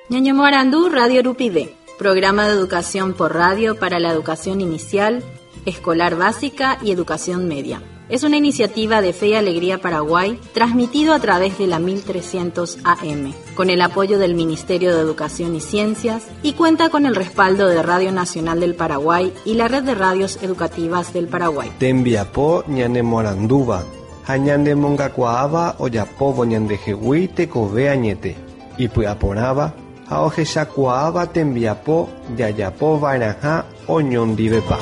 Ñañomoarandu Radio Rupive, programa de educación por radio para la educación inicial, escolar básica y educación media. Es una iniciativa de Fe y Alegría Paraguay, transmitido a través de la 1300 AM, con el apoyo del Ministerio de Educación y Ciencias y cuenta con el respaldo de Radio Nacional del Paraguay y la Red de Radios Educativas del Paraguay. Tembiapo ñanemoarandúva ha ñanemongakuaáva ojapóvo ñandehegui tekove añete, ipy'aporãva ha ohechakuaáva tembiapo jajapova'erãha oñondivepa.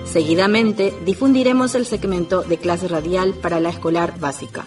Seguidamente difundiremos el segmento de clase radial para la escolar básica.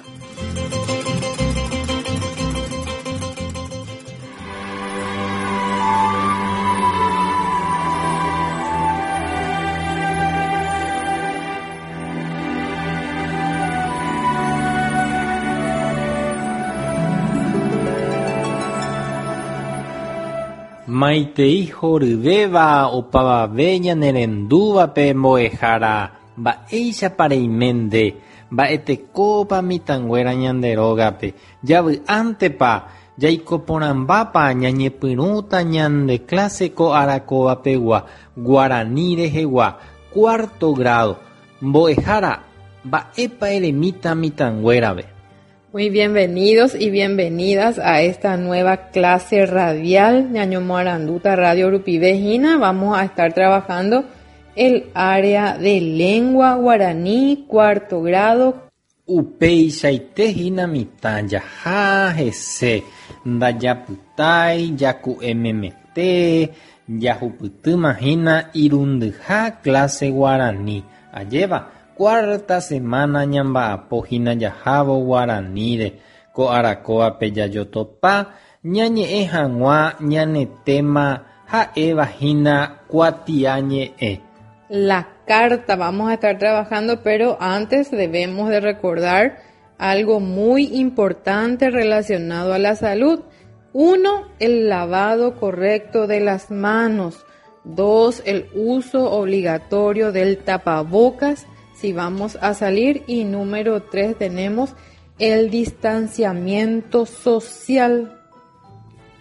Maitei horyvéva opavave ñanerendúvape mbo'ehára mba'éichapa reime nde, mba'etekópa mitãnguéra ñande rógape, javy'ántepa, jaiko porãmbápa ñañepyrũta ñande clase ko arakóvapegua, guarani rehegua, cuarto grado. Mbo'ehára, mba'épa eremíta mitãnguérape. Muy bienvenidos y bienvenidas a esta nueva clase radial Ñañomoaranduta Radio Rupive hína. Vamos a estar trabajando el área de lengua guaraní, cuarto grado. Upeichaite hína mitã jaha hese, ndajapytái, jaku'e memete, jahupytýma hína irundyha clase guarani. Ajéva, cuarta semana ñamba'apo hína jahávo guaraníre, ko arakóvape jajotopa, ñañe'ẽ hag̃ua ñane tema ha'éva hína kuatiañe'ẽ. La carta vamos a estar trabajando, pero antes debemos de recordar algo muy importante relacionado a la salud. 1, el lavado correcto de las manos. 2, el uso obligatorio del tapabocas si vamos a salir. Y número 3, tenemos el distanciamiento social.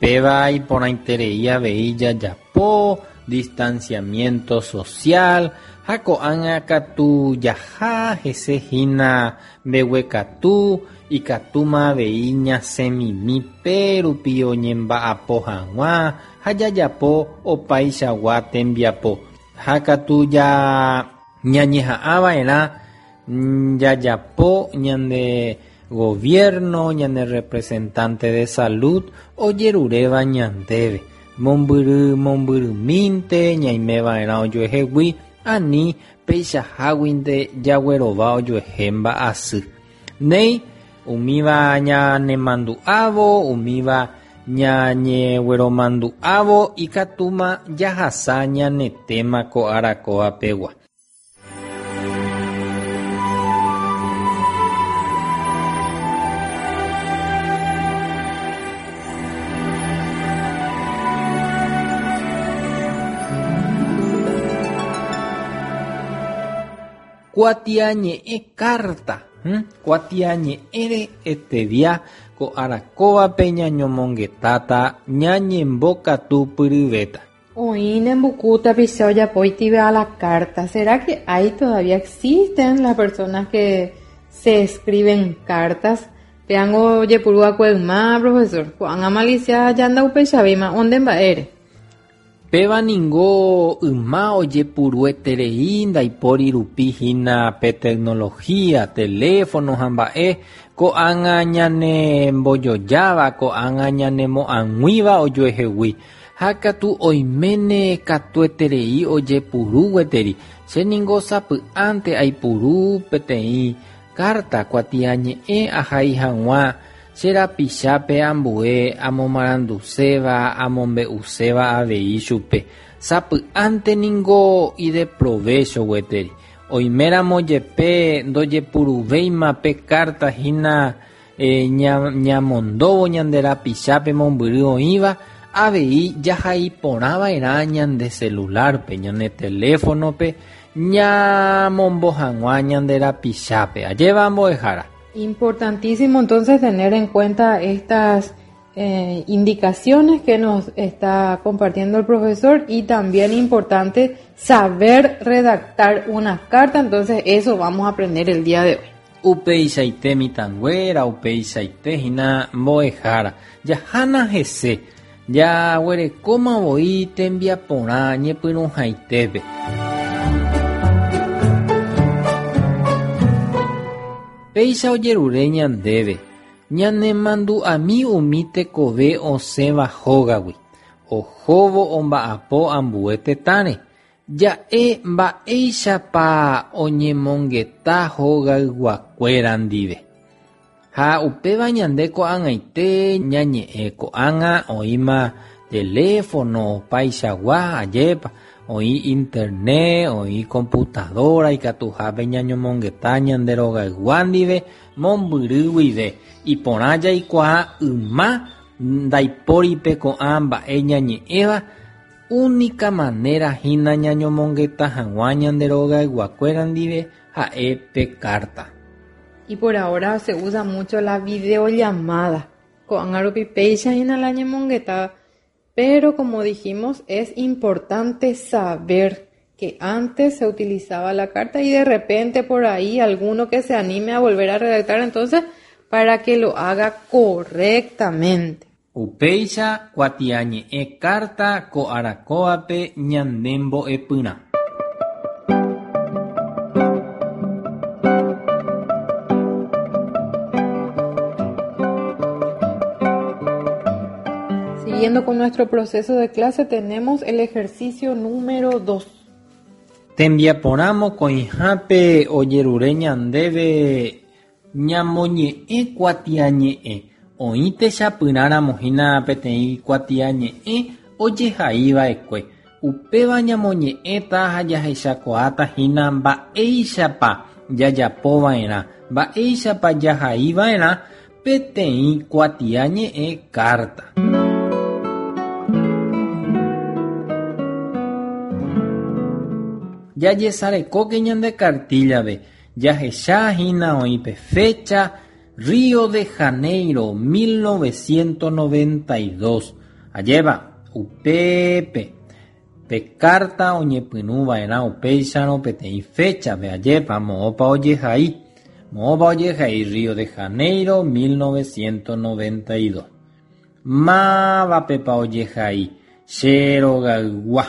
Péva iporãiterei avei jajapo distanciamiento social ha ko'ág̃a katu jaha hese hína mbeguekatu ikatúma avei ñasẽmimi pérupi oñemba'apo hag̃ua ha jajapo opaichagua tembiapo ha katu ja ñañeha'ãva'erã jajapo ñande gobierno, ñane representante de salud ojeruréva ñandéve mombyry mombyrymínte ñaimeva'erã ojuehegui ani peichaháguinte jaguerova ojuehe mba'asy. Néi umíva ñanemandu'ávo, umíva ñañegueromandu'ávo ikatúma jahasa ñane tema ko arakóvapegua. Kuatiañe'ẽ carta, kuatiañe'ẽre estedia ko arakóvape ñañomongetáta ñañembokatupyryvéta. Oĩne mbuku tapicha ojapóitive a la carta. ¿Será que hay todavía existen las personas que se escriben cartas? Péango ojepuru va'ekue yma, profesor. Ko'ág̃a malicia ja ndaupechavéima onde mba'ére. Péva ningo yma ojepurueterei ndaipóri rupi hína pe tecnología, teléfono ha mba'e, ko'ág̃a ñanembojojáva, ko'ág̃a ñanemo'ag̃uíva ojuehegui. Ha katu oiméne katueterei ojepuru gueteri. Che ningo sapy'ánte aipuru peteĩ carta kuatiañe'ẽ ahai hag̃ua che rapichápe ambue amomaranduséva, amombe'uséva avei chupe. Sapy'ánte ningo ideprovecho gueteri. Oiméramo jepe ndojepuruvéima pe carta hína ñamondóvo ñande rapichápe mombyry oĩva, avei jahai porãva'erã ñande celular-pe, ñane teléfono-pe, ñamombo hag̃ua ñande rapichápe. Ajéva mbo'ehára. Importantísimo entonces tener en cuenta estas eh, indicaciones que nos está compartiendo el profesor y también importante saber redactar una carta, entonces eso vamos a aprender el día de hoy. Upeichaite mitãnguéra, upeichaite hína mbo'ehára. Jahána hese, jaguerekóma voi tembiaporã ñepyrũhaitépe. Péicha ojerure ñandéve, ñanemandu'ami umi tekove osẽva hógagui, ohóvo omba'apo ambue tetãre. Ja'e mba'éichapa oñemongeta hogayguakuéra ndive. Ha upéva ñande ko'ag̃aite ñañe'ẽ ko'ág̃a oĩma teléfono opaichagua, ajépa, oĩ internet, oĩ computadora ikatuhápe ñañomongeta ñande rogaygua ndive mombyry guive. Iporã jaikuaa yma ndaipóripe ko'ã mba'e ñañe'ẽva Únika manera hína ñañomongeta hag̃ua ñande rogayguakuéra ndive ha'e pe kárta. Y por ahora se usa mucho la videollamada. Ko'ág̃a rupi péicha hína la ñemongeta, pero como dijimos es importante saber que antes se utilizaba la carta y de repente por ahí alguno que se anime a volver a redactar entonces para que lo haga correctamente. Upéicha kuatiañe'ẽ kárta ko arakóvape ñande mbo'epyrã. Siguiendo con nuestro proceso de clase tenemos el ejercicio número 2. Tembiaporã mokõihápe ojerure ñandéve Ñamoñe'ẽ kuatiañe'ẽ. Oĩ techapyrãramo hína peteĩ kuatiañe'ẽ ojehaiva'ekue. Upéva ñamoñe'ẽta ha jahechakuaáta hína mba'éichapa jajapova'erã, mba'éichapa jahaiva'erã peteĩ kuatiañe'ẽ kárta. Jajesarekóke ñande kartíllape Jahecha hína oĩ pe fecha, Río de Janeiro, 1992. Ajépa, upépe, pe kárta oñepyrũ va'erã upéicharõ peteĩ féchape, ajépa, moõpa ojehai. Moõpa ojehai Río de Janeiro, 1992. Mávapepa ojehai, Che rogaygua,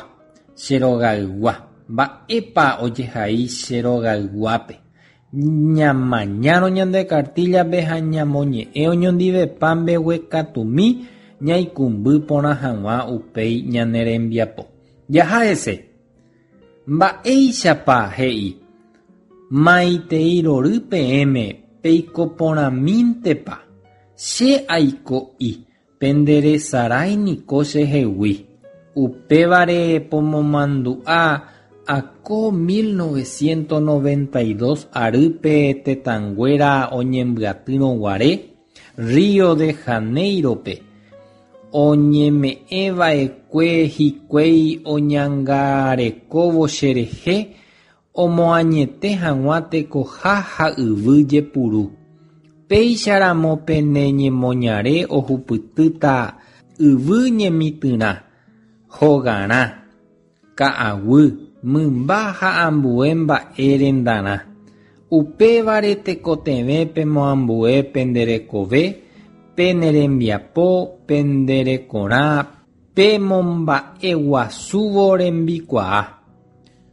che rogaygua. Mba'épa ojehai che rogayguápe? Ñamañárõ ñande kartíllape ha ñamoñe'ẽ oñondivepa mbeguekatumi ñaikũmby porã hag̃ua upéi ñane rembiapo. Jaha hese. Mba'éichapa he'i, Maitei rory peẽme peiko porãmíntepa, che aiko'i Penderesarái niko chehegui, upévare pomomandu'a ako 1992 arýpe tetãnguéra oñembyatýrõ guare Rio de Janeiro-pe, oñeme'ẽva'ekue hikuái oñangarekóvo cherehe omoañete hag̃ua tekoha ha yvy jepuru. Péicha ramo pene ñemoñare ohupytýta yvy ñemitỹrã, hogarã, ka'aguy, mymba ha ambue mba'e rendarã. Upévare tekotevẽ pemoambue pende rekove, pene rembiapo, pende rekorã, pemomba'eguasúvo rembikuaa.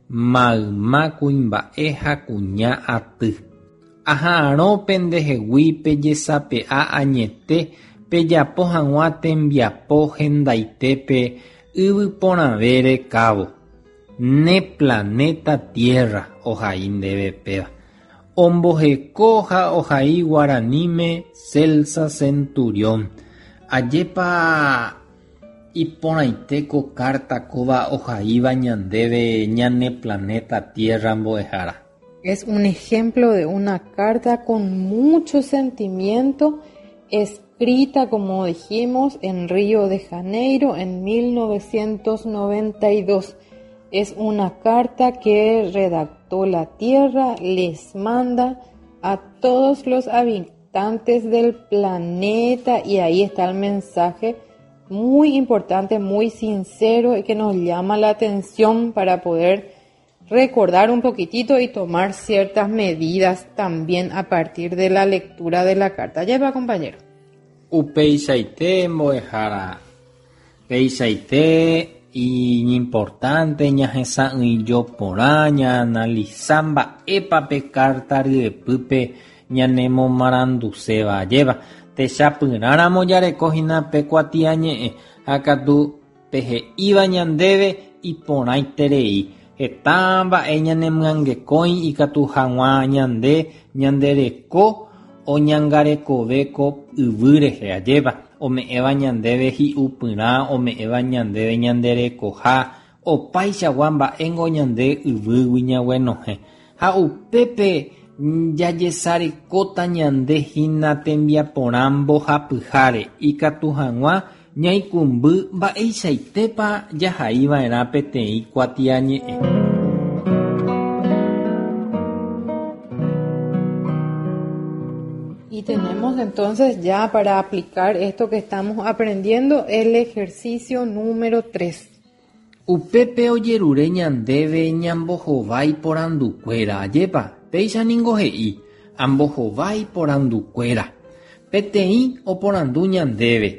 Mayma kuimba'e ha kuña aty. Aha'arõ pendehegui pejesape'a añete pejapo hag̃ua tembiapo hendaitépe yvyporãve rekávo. Ne planeta Tierra ohai ndéve péva. Omboheko ha ohai guaraníme Celsa Centurión. Ajépa Iporãite ko kárta kóva ohaíva ñandéve ñane planeta Tierra mbo'ehára. Es un ejemplo de una carta con mucho sentimiento escrita, como dijimos, en Río de Janeiro en 1992. Es una carta que redactó la Tierra, les manda a todos los habitantes. habitantes del planeta y ahí está el mensaje muy importante, muy sincero y que nos llama la atención para poder recordar un poquitito y tomar ciertas medidas también a partir de la lectura de la carta. Lleva, compañero. Upeichaite mbo'ehára. Peichaite iñimportante ñahesa'ỹijo porã ñaanalisa mba'épa pe kárta ryepýpe ñanemomaranduséva ajépa. Techapyrãramo jareko hína pe kuatiañe'ẽ ha katu pe he'íva ñandéve iporãiterei. Heta mba'e ñanemyangekõi ikatu hag̃ua ñande ñande reko oñangarekove ko yvy rehe, ajépa, ome'ẽva ñandéve hi'upyrã, ome'ẽva ñandéve ñande rekoha, opaichagua mba'éngo ñande yvýgui ñaguenohẽ. Ha upépe jajesarekóta ñande hína tembiaporã mbohapyháre ikatu hag̃ua ñaikũmby mba'eichaitépa jahaiva'erã peteĩ kuatiañe'ẽ. Y tenemos entonces ya para aplicar esto que estamos aprendiendo el ejercicio número 3. Upépe ojerure ñandéve ñambohovái porandukuéra, ajépa? Péicha ningo he'i, Ambohovái porandukuéra. Peteĩ oporandu ñandéve,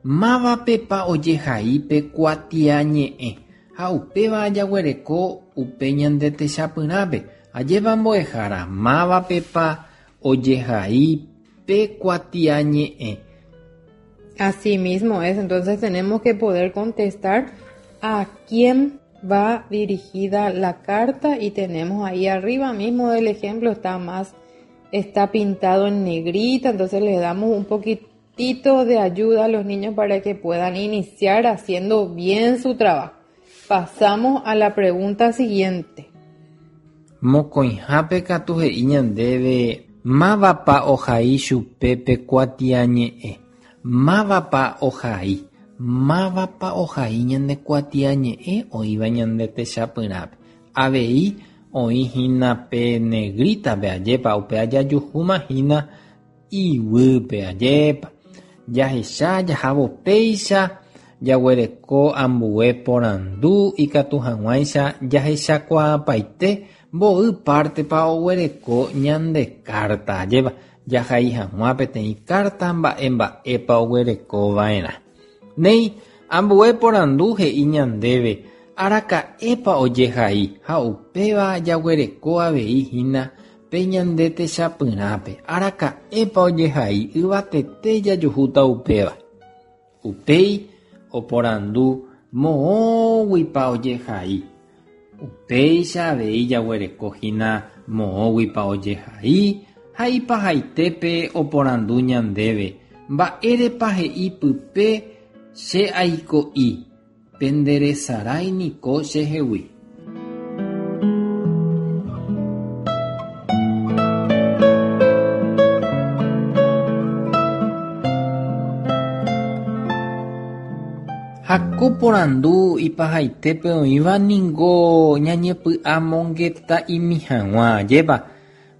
Mávapepa ojehai pe kuatiañe'ẽ? Ha upéva jaguereko upe ñande techapyrãpe. Ajépa mbo'ehára, mávapepa ojehai pe kuatiañe'ẽ? Así mismo es, entonces tenemos que poder contestar a quién va dirigida la carta y tenemos ahí arriba mismo del ejemplo está más está pintado en negrita, entonces le damos un poquitito de ayuda a los niños para que puedan iniciar haciendo bien su trabajo. Pasamos a la pregunta siguiente. Mokõihápe katu he'i ñandéve mávapa ohai chupe pe kuatiañe'ẽ. Mávapa ohai. Mávapa ohai ñande kuatiañe'ẽ oĩva ñande techapyrãpe. Avei oĩ hína pe negrita-pe ajépa upéva jajuhúma hína iguýpe ajépa. Jahecha jahávo péicha jaguereko ambue porandu ikatu hag̃uáicha jahechakuaapaite mboy pártepa oguereko ñande kárta ajépa jahai hag̃ua peteĩ kárta mba'e mba'épa oguereko va'erã. Néi, ambue porandu he'i ñandéve araka'épa ojehai ha upéva jaguereko avei hína pe ñande techapyrãpe, araka'épa ojehai yvatete jajuhúta upéva. Upéi oporandu moõguipa ojehai. Upéicha avei jaguereko hína moõguipa ojehai ha ipahaitépe oporandu ñandéve mba'érepa he'i pype che aiko'i, penderesarái niko chehegui. Ha ko porandu ipahaitépe oĩva ningo ñañepy'amongeta'imi hag̃ua, ajépa?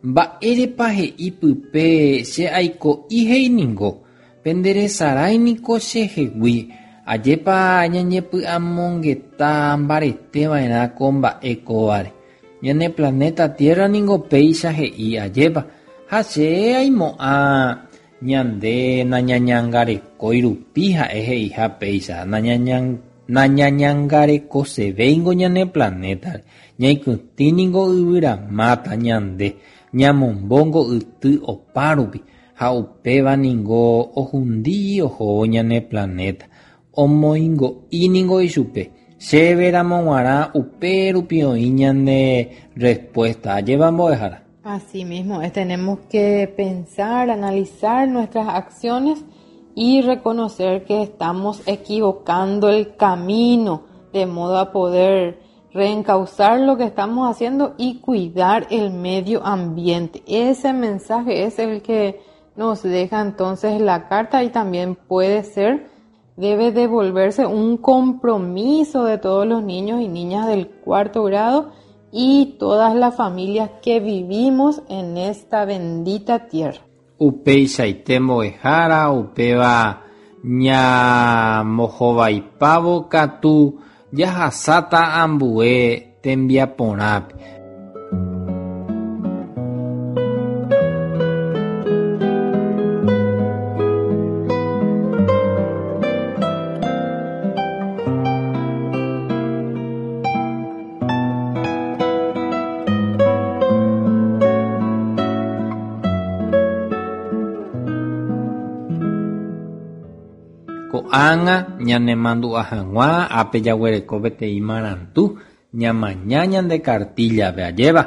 Mba'érepa he'i pype che aiko'i he'i ningo, Penderesarái niko chehegui, ajépa ñañepy'amongeta mbarete va'erã ko mba'e kóvare. Ñane planéta Tierra ningo péicha he'i, ajépa? Ha che aimo'ã ñande nañañangarekói rupi ha'e he'iha péicha, nañañangarekosevéingo ñane planétare, ñaikytĩ ningo yvyramáta ñande, ñamombóngo yty opárupi, Ha upéva ningo ohundi ohóvo ñane planéta, omoingo'i ningo ichupe. Chéve ramo g̃uarã upérupi oĩ ñane respuesta. Ajépa mbo'ehára? Así mismo es, tenemos que pensar, analizar nuestras acciones y reconocer que estamos equivocando el camino de modo a poder reencauzar lo que estamos haciendo y cuidar el medio ambiente. Ese mensaje es el que nos deja entonces la carta y también puede ser, debe devolverse un compromiso de todos los niños y niñas del cuarto grado y todas las familias que vivimos en esta bendita tierra. Upeichaite mbo'ehára upéva ñambohovaipávo katu jahasáta ambue tembiaporãpe. Ko'ág̃a ñanemandu'a hag̃ua ápe jaguereko peteĩ marandu ñamaña ñande kartíllape, ajépa?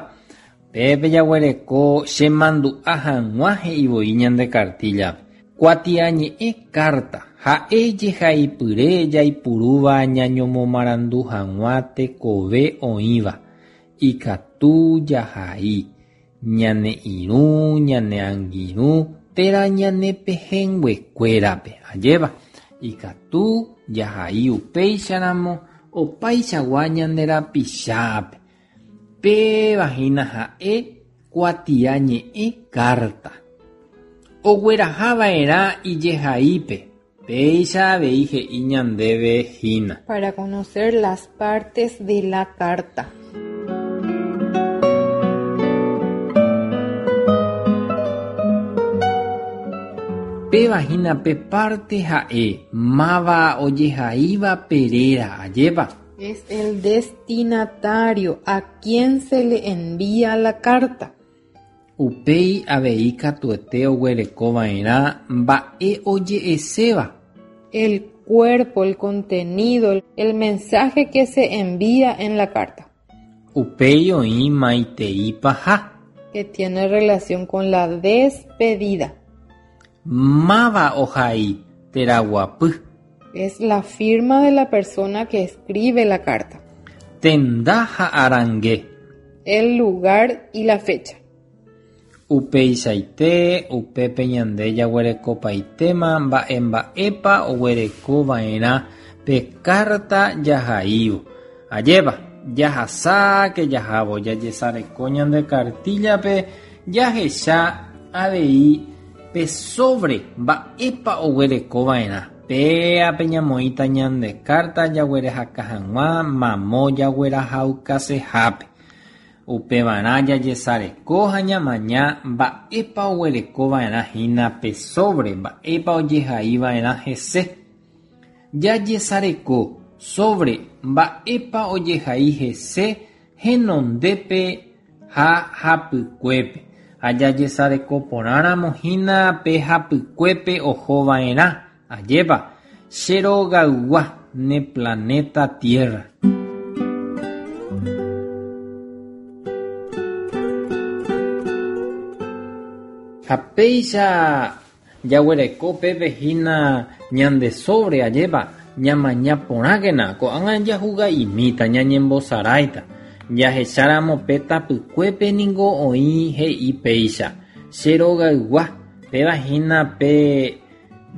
Pépe jaguereko chemandu'a hag̃ua he'i voi ñande kartíllape. Kuatiañe'ẽ kárta ha'e jehaipyre jaipurúva ñañomomarandu hag̃ua tekove oĩva, ikatu jahai, ñane irũ, ñane angirũ térã ñane pehẽnguekuérape, ajépa? Ikatu jahai upéicharamo opaichagua ñande rapichápe. Péva hína ha'e kuatiañe'ẽ kárta. Ogueraha va'erã ijehaípe, péicha avei he'i ñandéve hína. Para conocer las partes de la carta. Péva hína pe párte ha'e máva ojehaíva pe réra, ajépa? Es el destinatario a quien se le envía la carta. Upéi avei katuete oguereko va'erã mba'e oje'eséva. El cuerpo, el contenido, el mensaje que se envía en la carta. Upéi oĩ maitei paha. Que tiene relación con la despedida. Máva ohai térã guapy. Es la firma de la persona que escribe la carta. Tenda ha arange. El lugar y la fecha. Upeichaite, upépe ñande jaguerekopaitéma mba'emba'épa oguerekova'erã pe kárta jahaívo. Ajépa, jahasáke jahávo jajesareko ñande kartíllape jahecha avei pe sóvre mba'épa oguerekova'erã. Péape ñamoĩta ñande kárta jaguerehaka hag̃ua mamo jaguerahaukasehápe. Upevarã jajesareko ha ñamaña mba'épa oguerekova'erã hína pe sóvre, mba'épa ojehaiva'erã hese. Jajesareko sóvre mba'épa ojehai hese henondépe ha hapykuépe. Ha jajesareko porãramo hína pe hapykuépe ohova'erã, ajépa, che rogaygua ne planeta Tierra. Ha péicha jaguereko pépe hína ñande sóvre, ajépa, ñamaña porãkena, ko'ág̃a jahuga'imíta, ñañembosaráita. Jahecháramo pe tapykuépe ningo oĩ he'i péicha, Che rogaygua, péva hína pe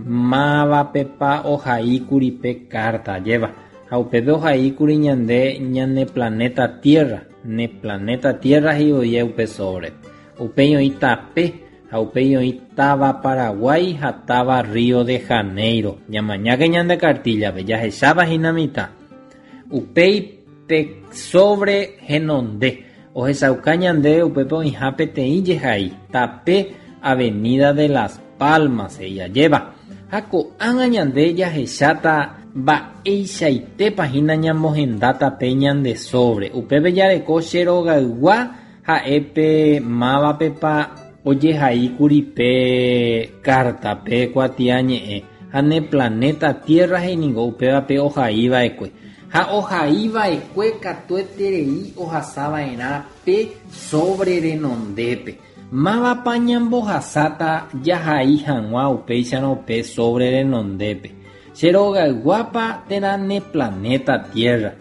mávapepa ohaíkuri pe kárta, ajépa. Ha upépe ohaíkuri ñande ñane planéta Tierra, ne planéta Tierra he'i voi upe sóvrepe. Upéi oĩ tape ha upéi oĩ táva Paraguái ha táva Río de Janeiro. Ñamañáke ñande kartíllape, jahechápa hína mitã. Upéi pe sóvre henonde, ohechauka ñandéve upépe oĩha peteĩ jehai, tape Avenida de las Palmas he'i ajépa. Ha ko'ág̃a ñande jahecháta mba'eichaitépa hína ñamohendáta pe ñande sóvre. Upépe jareko che rogaygua Ha'e pe mávapepa ojehaíkuri pe kárta, pe kuatiañe'ẽ, ha ne planéta Tierra he'i ningo upéva pe ohaiva'ekue. Ha ohaiva'ekue katueterei ohasava'erã pe sóvre renondépe. Mávapa ñambohasáta jahai hag̃ua upéicharõ pe sóvre renondépe? Che rogayguápa térã ne planéta Tierra?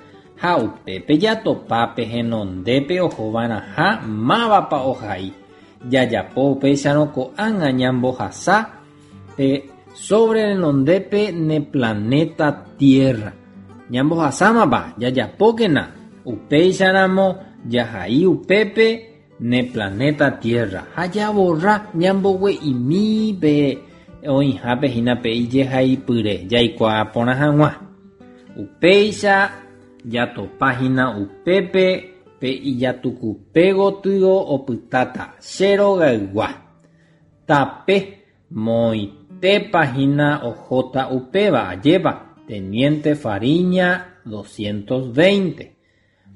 Ha upépe jatopa pe henondépe ohova'erãha mávapa ohai. Jajapo upéicharõ ko'ág̃a ñambohasa pe sóvre renondépe ne planéta Tierra. Ñambohasámapa, jajapókena. Upéicharamo jahai upépe. Ne planeta Tierra ha javorra ñambogue'imi pe oĩhápe hína pe ijehaipyre jaikuaa porã hag̃ua. Upéicha jatopa hína upépe pe ijatukupe gotyo opytáta che rogaygua. Tape moõitépa hína ohóta upéva, ajépa, Teniente Fariña 220.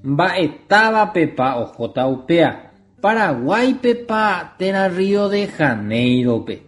Mba'e távapepa ohóta upéa, Paraguáipepa térã Río de Janeiro-pe.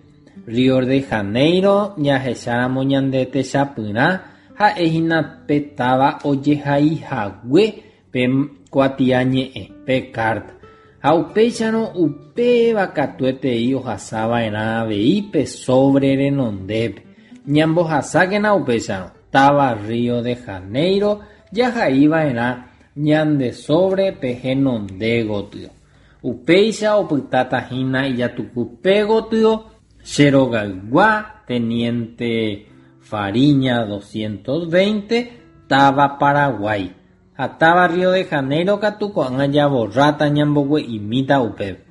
Río de Janeiro jahecháramo ñande techapyrã ha'ehína pe táva ojehaihague pe kuatiañe'ẽ, pe carta. Ha upéicharõ upéva katuetei ohasava'erã avei pe sobre renondépe. Ñambohasákena upéicharõ, táva Río de Janeiro jahaiva'erã ñande sobre pe henonde gotyo. Upéicha opytáta hína ijatukupe gotyo che rogaygua Teniente Fariña 220, táva Paraguay. Ha táva Río de Janeiro katu ko'ág̃a javorráta ñambogue'imíta upépe.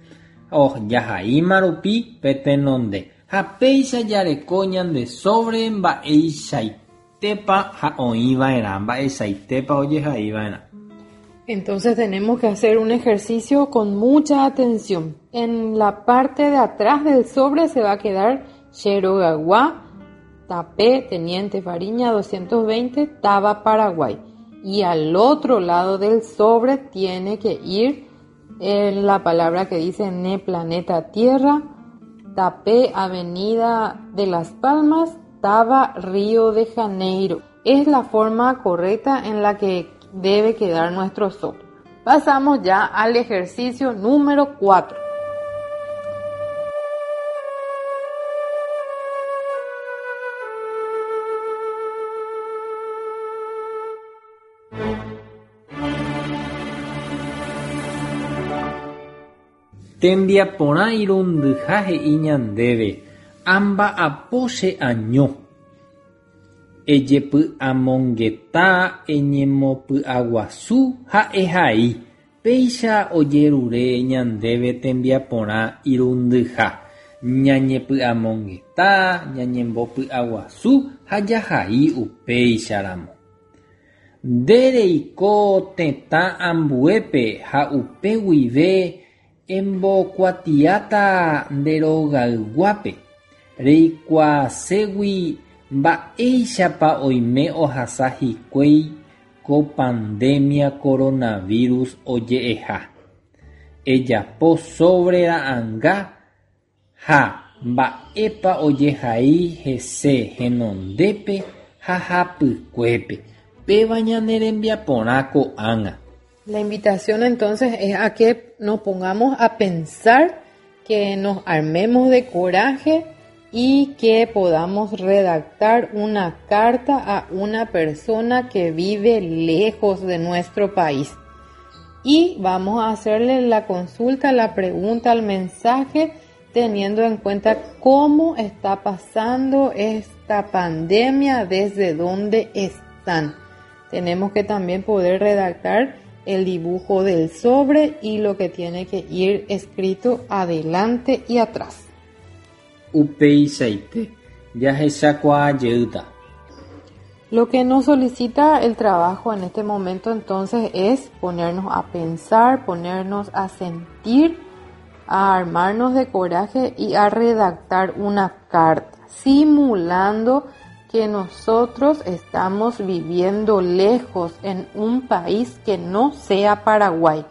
Jahaíma rupi pe tenonde. Ha péicha jareko ñande sobre mba'eichaitépa ha oĩva'erã, mba'eichaitépa ojehaiva'erã. Entonces tenemos que hacer un ejercicio con mucha atención. En la parte de atrás del sobre se va a quedar Che rogaygua, Tape, Teniente Fariña 220, Táva Paraguay. Y al otro lado del sobre tiene que ir en la palabra que dice Ne Planeta Tierra, Tape, Avenida de las Palmas, Táva Río de Janeiro. Es la forma correcta en la que debe quedar nuestro sobre. Pasamos ya al ejercicio número 4. Tembiaporã irundyha he'i ñandéve amba'apo che año. Ejepy'amongeta eñemopy'aguasu ha ehai, péicha ojerure ñandéve tembiaporã irundyha, ñañepy'amongeta, ñañembopy'aguasu ha jahai upéicharamo. Nde reiko tetã ambuépe ha upe guive embokuatiáta nde rogayguápe reikuaaségui mba'éichapa oime ohasa hikuái ko pandemia coronavirus oje'eha. Ejapo sobre ra'ãnga ha mba'épa ojehai hese henondépe ha hapykuépe. Péva ñane rembiaporã ko'ág̃a. La invitación entonces es a que nos pongamos a pensar, que nos armemos de coraje y que podamos redactar una carta a una persona que vive lejos de nuestro país. Y vamos a hacerle la consulta, la pregunta, el mensaje, teniendo en cuenta cómo está pasando esta pandemia, desde dónde están. Tenemos que también poder redactar el dibujo del sobre y lo que tiene que ir escrito adelante y atrás. Upeichaite, jahechakuaa jeýta. Lo que nos solicita el trabajo en este momento entonces es ponernos a pensar, ponernos a sentir, a armarnos de coraje y a redactar una carta, simulando que nosotros estamos viviendo lejos en un país que no sea Paraguay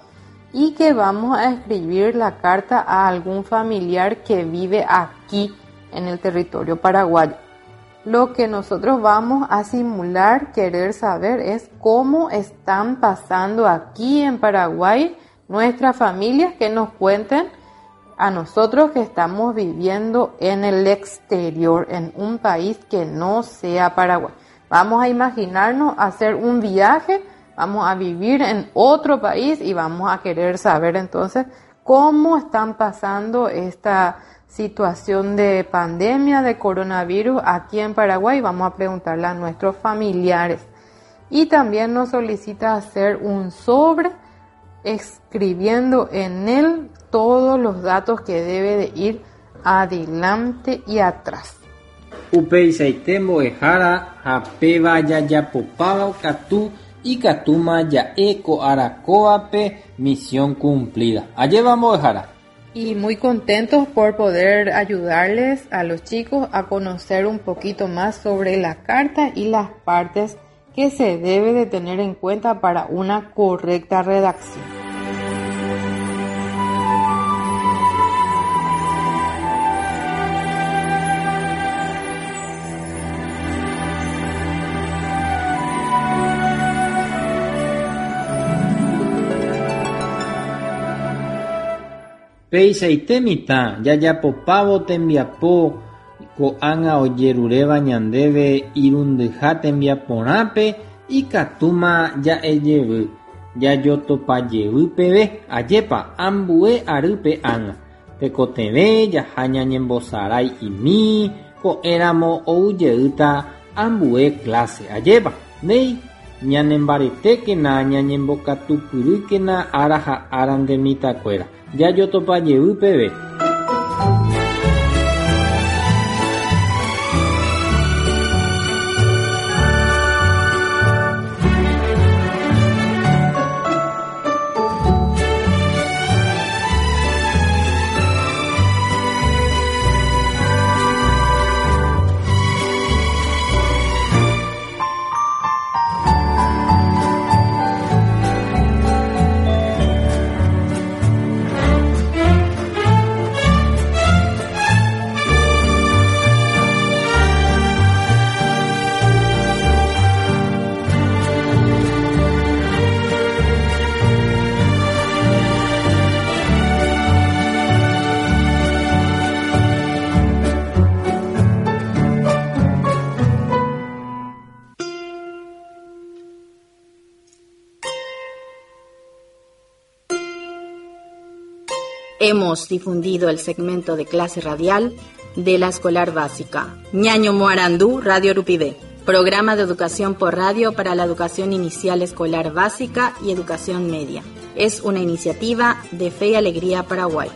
y que vamos a escribir la carta a algún familiar que vive aquí en el territorio paraguayo. Lo que nosotros vamos a simular, querer saber, es cómo están pasando aquí en Paraguay nuestras familias, que nos cuenten a nosotros que estamos viviendo en el exterior, en un país que no sea Paraguay. Vamos a imaginarnos hacer un viaje, vamos a vivir en otro país y vamos a querer saber entonces cómo están pasando esta situación de pandemia de coronavirus aquí en Paraguay. Vamos a preguntarle a nuestros familiares. Y también nos solicita hacer un sobre escribiendo en él los datos que debe de ir adelante y atrás. Upeichaite mbo'ehára ha péva jajapopáva katu ikatúma ja'e ko ára kóvape misión cumplida. Ajépa mbo'ehára. Y muy contentos por poder ayudarles a los chicos a conocer un poquito más sobre la carta y las partes que se debe de tener en cuenta para una correcta redacción. Peichaite mitã, jajapopávo tembiapo ko'ág̃a ojeruréva ñandéve irundyha tembiaporãpe ikatúma ja'ejevy, jajotopajevy peve, ajépa ambue arýpe ág̃a. Tekotevẽ jaha ñañembosarai'imi ko'ẽramo oujeýta ambue clase, ajépa. Néi, ñanembaretékena ñañembokatupyrýkena ára ha ára nde mitãkuéra. Jajotopajevy peve. Hemos difundido el segmento de clase radial de la Escolar Básica. Ñaño Moarandú, Radio Rupivé. Programa de educación por radio para la educación inicial escolar básica y educación media. Es una iniciativa de Fe y Alegría Paraguay.